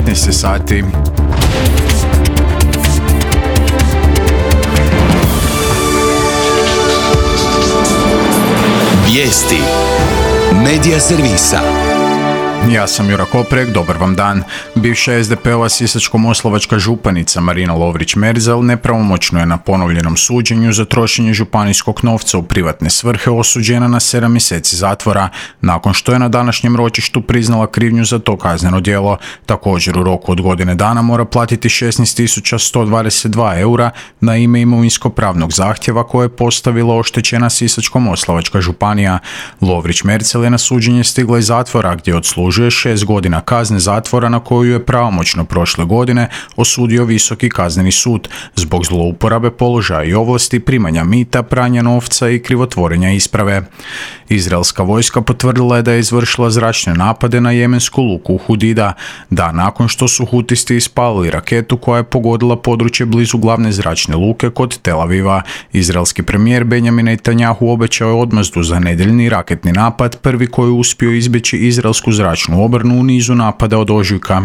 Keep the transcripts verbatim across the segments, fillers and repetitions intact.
devetnaest sati. Vijesti Medija servisa. Ja sam Jura Koprek, dobar vam dan. Bivša es de pe ova sisačko-moslavačka županica Marina Lovrić-Merzel nepravomoćno je na ponovljenom suđenju za trošenje županijskog novca u privatne svrhe osuđena na sedam mjeseci zatvora, nakon što je na današnjem ročištu priznala krivnju za to kazneno djelo. Također u roku od godine dana mora platiti šesnaest tisuća sto dvadeset dva eura na ime imovinsko-pravnog zahtjeva koje je postavila oštećena sisačko-moslavačka županija. Lovrić-Merzel je na suđenje stigla iz zatvora gdje odslužuje šest godina kazne zatvora na koju je pravomoćno prošle godine osudio Visoki kazneni sud zbog zlouporabe položaja i ovlasti, primanja mita, pranja novca i krivotvorenja isprave. Izraelska vojska potvrdila je da je izvršila zračne napade na jemensku luku Hudida, dan nakon što su hutisti ispalili raketu koja je pogodila područje blizu glavne zračne luke kod Tel Aviva. Izraelski premijer Benjamin Netanjahu obećao je odmazdu za nedjeljni raketni napad, prvi koji je uspio izbjeći izraelsku zračnu obrnu u nizu napada od ožujka.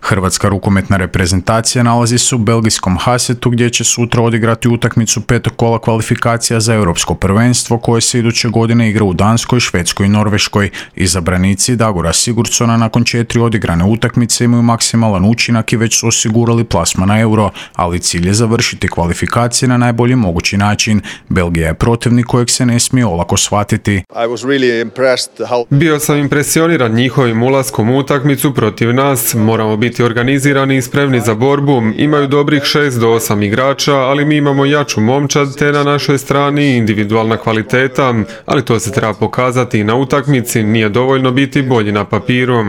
Hrvatska rukometna reprezentacija nalazi se u belgijskom Hasetu gdje će sutra odigrati utakmicu petog kola kvalifikacija za europsko prvenstvo koje se iduće godine igra u Danskoj, Švedskoj i Norveškoj. Izabranici Dagora Sigurdsona nakon četiri odigrane utakmice imaju maksimalan učinak i već su osigurali plasman na euro, ali cilj je završiti kvalifikacije na najbolji mogući način. Belgija je protivnik kojeg se ne smije olako shvatiti. Bio sam impresioniran njihovim ulaskom u utakmicu protiv nas. Moramo biti organizirani i spremni za borbu. Imaju dobrih šest do osam igrača, ali mi imamo jaču momčad te na našoj strani individualna kvaliteta, ali to se treba pokazati i na utakmici, nije dovoljno biti bolji na papiru.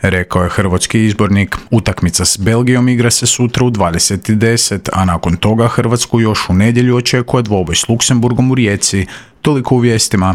Rekao je hrvatski izbornik. Utakmica s Belgijom igra se sutra u dvadeset i deset, a nakon toga Hrvatsku još u nedjelju očekuje dvoboj s Luksemburgom u Rijeci. Toliko u vijestima.